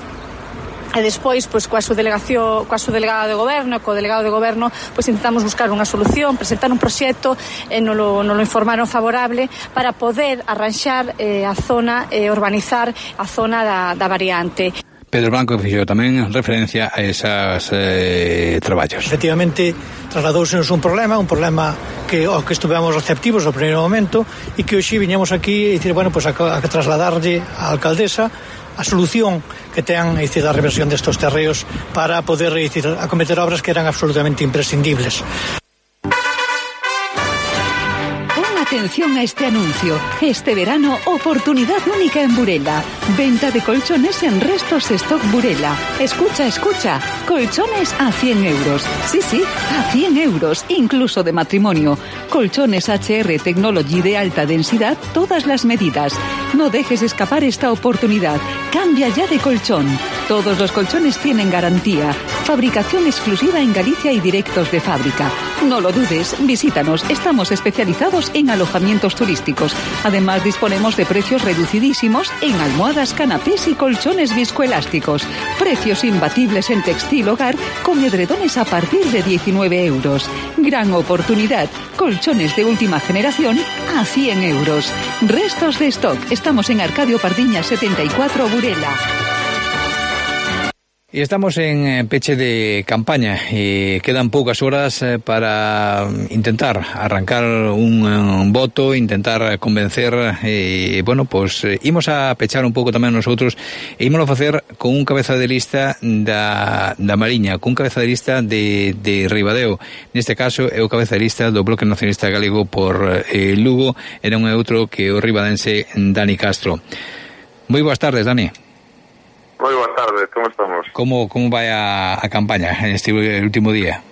e despois, pois, coa subdelegación, coa subdelegada de Goberno e co delegado de Goberno, pois intentamos buscar unha solución, presentar un proxecto, e non lo, non lo informaron favorable para poder arranxar eh, a zona e eh, urbanizar a zona da, da variante. Pedro Blanco fixo tamén referencia a esas eh, traballos. Efectivamente, trasladousenos un problema, un problema que ao que estuvemos receptivos no primeiro momento e que hoxe viñamos aquí e dicir, bueno, pues a, a trasladarlle á alcaldesa a solución que ten, é dicir, a reversión destos terreos para poder, é dicir, acometer obras que eran absolutamente imprescindibles. Atención a este anuncio. Este verano, oportunidad única en Burela. Venta de colchones en Restos Stock Burela. Escucha, escucha. Colchones a cien euros. Sí, sí, a cien euros, incluso de matrimonio. Colchones H R Technology de alta densidad, todas las medidas. No dejes escapar esta oportunidad. Cambia ya de colchón. Todos los colchones tienen garantía. Fabricación exclusiva en Galicia y directos de fábrica. No lo dudes, visítanos. Estamos especializados en alojamientos turísticos. Además, disponemos de precios reducidísimos en almohadas, canapés y colchones viscoelásticos. Precios imbatibles en textil hogar con edredones a partir de diecinueve euros. Gran oportunidad. Colchones de última generación a cien euros. Restos de stock. Estamos en Arcadio Pardiñas setenta y cuatro, Burela. Y estamos en peche de campaña y quedan poucas horas para intentar arrancar un, un voto, intentar convencer e, bueno, pues imos a pechar un pouco tamén nosotros e ímolo facer con un cabeza de lista da, da Mariña, con un cabeza de lista de, de Ribadeo. Neste caso é o cabeza de lista do Bloque Nacionalista Galego por eh, Lugo, era un outro que o ribadense Dani Castro. Moi boas tardes, Dani. Moi boas tardes, como estamos? Como, como vai a, a campaña en este último día?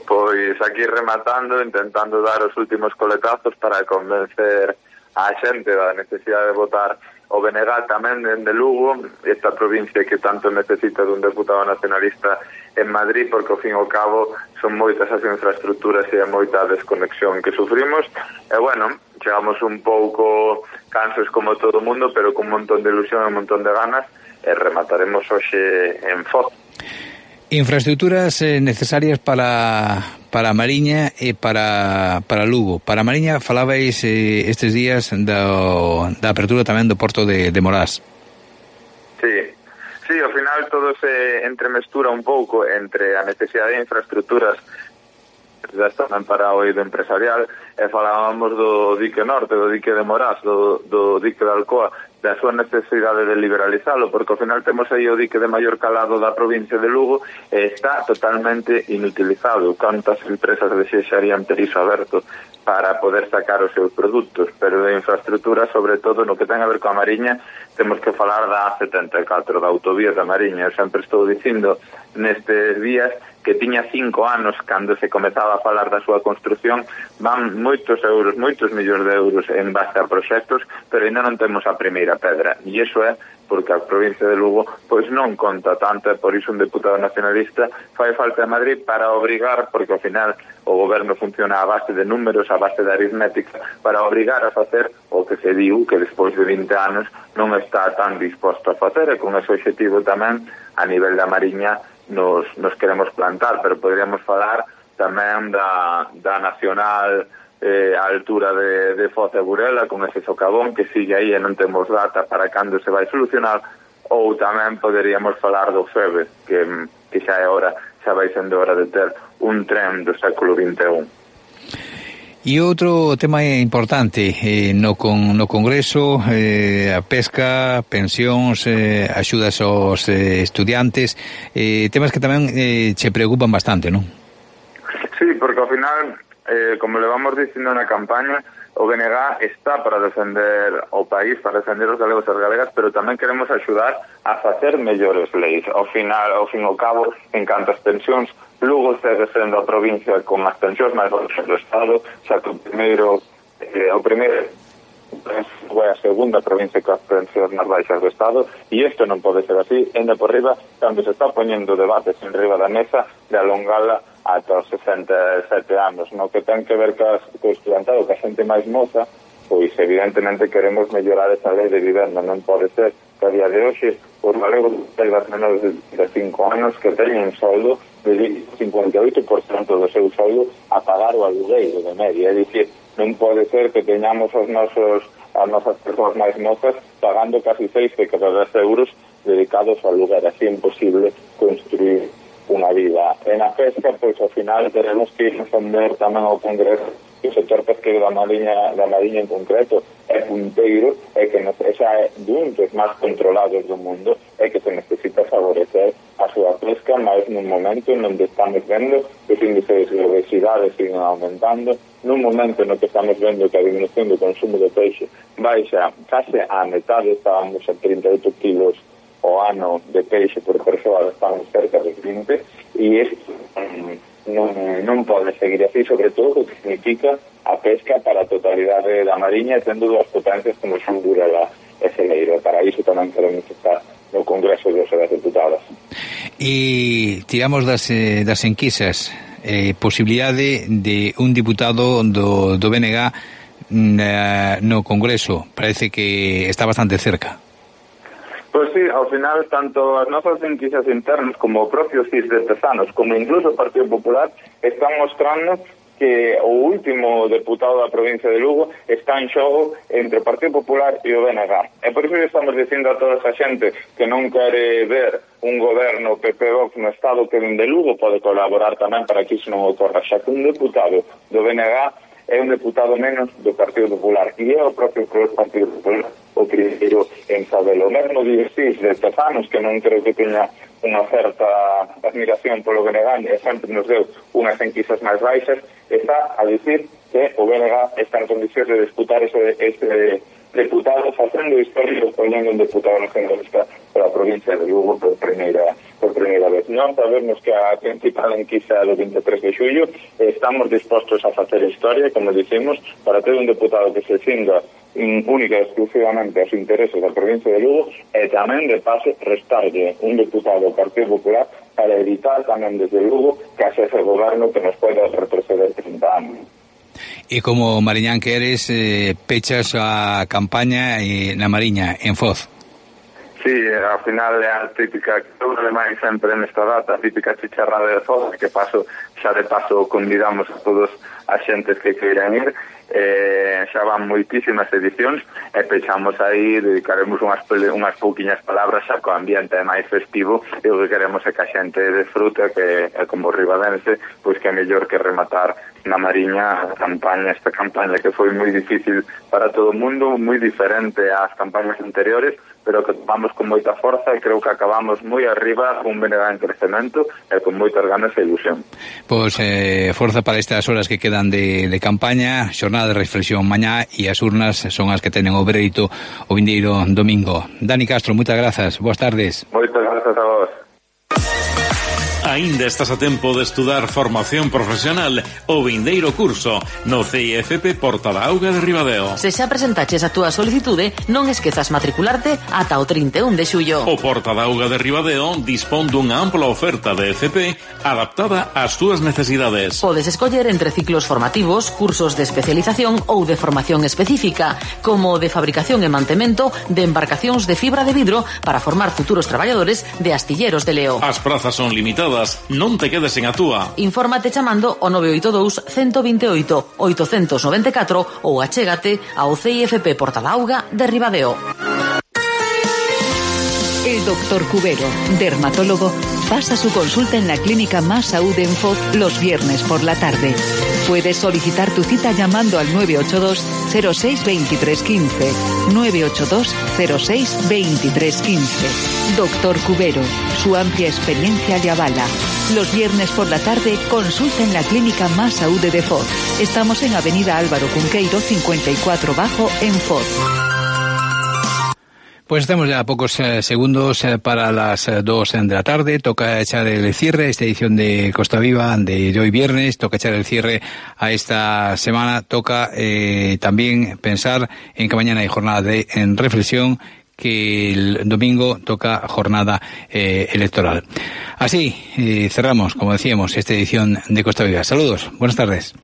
Pois aquí rematando, intentando dar os últimos coletazos para convencer a xente da necesidade de votar o B N G tamén de Lugo, esta provincia que tanto necesita dun deputado nacionalista en Madrid, porque ao fin e ao cabo son moitas as infraestructuras e moita desconexión que sufrimos, e bueno, chegamos un pouco cansos como todo o mundo, pero con un montón de ilusión e un montón de ganas, e remataremos hoxe en Foz. Infraestructuras eh, necesarias para para Mariña e para para Lugo. Para Mariña falabais eh, estes días do, da apertura tamén do porto de, de Morás. Sí, sí, ao final todo se entremestura un pouco entre a necesidade de infraestructuras já están para o eido empresarial e falábamos do dique norte, do dique de Morás, do, do dique de Alcoa, da súa necesidade de liberalizalo, porque ao final temos aí o dique de maior calado da provincia de Lugo e está totalmente inutilizado. Cantas empresas desexarían ter iso aberto para poder sacar os seus produtos, pero de infraestructura, sobre todo no que ten a ver coa Mariña, temos que falar da A setenta e catro, da autovía da Mariña. Eu sempre estou dicindo nestes días que tiña cinco anos cando se comezaba a falar da súa construción, van moitos euros, moitos millóns de euros en base a proxectos, pero ainda non temos a primeira pedra, e iso é porque a provincia de Lugo pois non conta tanto, e por iso un deputado nacionalista fai falta a Madrid para obrigar, porque ao final o goberno funciona a base de números, a base de aritmética, para obrigar a facer o que se diu que despois de vinte anos non está tan disposto a facer, e con ese objetivo tamén a nivel da Mariña nos, nos queremos plantar, pero poderíamos falar tamén da, da nacional eh, a altura de, de Foz e Burela, con ese socavón que sigue aí e non temos data para cando se vai solucionar, ou tamén poderíamos falar do FEBE, que, que xa é hora, xa vai sendo hora de ter un tren do século vinte e un. E outro tema importante eh, no, con, no Congreso, eh, a pesca, pensións, eh, axudas aos eh, estudiantes, eh, temas que tamén eh, che preocupan bastante, non? Sí, porque ao final, eh, como le vamos dicindo na campaña, o B N G está para defender o país, para defender os galegos e as galegas, pero tamén queremos axudar a facer mellores leis. Ao final, ao fin e ao cabo, en canto as pensións, Lugo segue sendo a provincia con as pensións máis baixas do Estado, xa que o primeiro, eh, o primeiro foi a segunda provincia con as pensións máis baixas do Estado, e isto non pode ser así, enda por riba, cando se está poñendo debates en riba da mesa de alongala ata os sesenta e sete anos, no que ten que ver co estudantado, que a xente máis moza, pois evidentemente queremos mellorar esa lei de vivenda. Non pode ser que a día de hoxe os galegos das menores de cinco anos que teñen soldo de cincuenta e oito por cento do seu soldo a pagar o alugueiro de media, é dicir, non pode ser que teñamos os nosos as nosas persoas máis mozas pagando casi seis de cada dez euros dedicados ao lugar, así é imposible construir unha vida. En a pesca, pois, ao final, teremos que defender tamén ao Congreso que o sector pesqueiro da Mariña, da Mariña en concreto é punteiro e que esa é dun dos máis controlados do mundo e que se necesita favorecer a súa pesca, máis nun momento onde estamos vendo que os índices de obesidade siguen aumentando, nun momento no que estamos vendo que a disminución do consumo de peixe baixa case a metade, estábamos a trinta e oito kilos o ano de peixe por persoa, estamos cerca de vinte, e isto non, non pode seguir así, sobre todo o que significa a pesca para a totalidade da Mariña, tendo dúas potencias como son Burela e Celeiro. Para iso tamén queremos estar no Congreso dos Deputados. E tiramos das, eh, das enquisas, eh, posibilidade de un diputado do, do B N G eh, no Congreso, parece que está bastante cerca. Pois sí, ao final, tanto as nosas enquisas internas como o propio C I S de Tezanos, como incluso o Partido Popular, están mostrando que o último deputado da provincia de Lugo está en xogo entre o Partido Popular e o B N G. E por iso estamos dicindo a toda esa xente que non quere ver un goberno P P Vox no estado que vende Lugo, pode colaborar tamén para que iso non ocorra, xa que un deputado do B N G é un deputado menos do Partido Popular, e é o propio Partido Popular o primeiro en sabelo. O mesmo dices de Tezanos, que non creo que teña unha certa admiración polo B N G, e sempre nos deu unhas enquisas máis baixas, está a dicir que o B N G está en condicións de disputar ese, ese deputado, facendo historia, poñendo un deputado nacionalista para a provincia de Lugo por primeira por primeira vez. Non sabemos que a principal enquisa do veintitrés de xullo, estamos dispostos a facer historia, como dicimos, para ter un deputado que se cinga única e exclusivamente aos intereses da provincia de Lugo, e tamén, de paso, restarlle un deputado do Partido Popular para evitar tamén desde Lugo que haxe ese goberno que nos poida retroceder trinta anos. E como mariñán que eres, eh, pechas a campaña eh, na Mariña, en Foz. Sí, ao final é a típica, que eu remai sempre nesta data, a típica chicharrada de Foz, que paso, xa de paso convidamos a todos as xentes que queiran ir, eh, xa van moitísimas edicións, e pechamos aí, dedicaremos unhas, unhas pouquiñas palabras xa co ambiente máis festivo, e o que queremos é que a xente desfrute, que é como ribadense, pois que é mellor que rematar na Mariña a campaña, esta campaña que foi moi difícil para todo o mundo, moi diferente ás campañas anteriores, pero que tomamos con moita forza e creo que acabamos moi arriba con un B N G en crecemento e con moitas ganas e ilusión. Pois eh, forza para estas horas que quedan de, de campaña, xornada de reflexión mañá, e as urnas son as que tenen o veredito o vindeiro domingo. Dani Castro, moitas grazas, boas tardes. Moitas grazas a vos. Aínda estás a tempo de estudar formación profesional o vindeiro curso no C I F P Porta da Auga de Ribadeo. Se xa presentaches a túa solicitude, non esquezas matricularte ata o trinta e un de xullo. O Porta da Auga de Ribadeo dispón dunha ampla oferta de F P adaptada ás túas necesidades. Podes escoller entre ciclos formativos, cursos de especialización ou de formación específica, como de fabricación e mantemento de embarcacións de fibra de vidro para formar futuros traballadores de astilleros de Leo. As prazas son limitadas, non te quedes en a túa. Infórmate chamando o nove oito dous, uno dos oito, oito nove catro ou achégate ao C I F P Porta da Auga de Ribadeo. El doctor Cubero, dermatólogo, pasa su consulta en la clínica Más Salud en Foz los viernes por la tarde. Puedes solicitar tu cita llamando al nueve ocho dos, cero seis, veintitrés quince. nueve ocho dos, cero seis, veintitrés quince. Doctor Cubero, su amplia experiencia le avala. Los viernes por la tarde, consulta en la clínica Más Salud de Foz. Estamos en Avenida Álvaro Cunqueiro, cincuenta y cuatro Bajo, en Foz. Pues estamos ya a pocos eh, segundos eh, para las eh, dos de la tarde. Toca echar el cierre a esta edición de Costa Viva de hoy viernes. Toca echar el cierre a esta semana. Toca eh, también pensar en que mañana hay jornada de en reflexión, que el domingo toca jornada eh, electoral. Así eh, cerramos, como decíamos, esta edición de Costa Viva. Saludos, buenas tardes.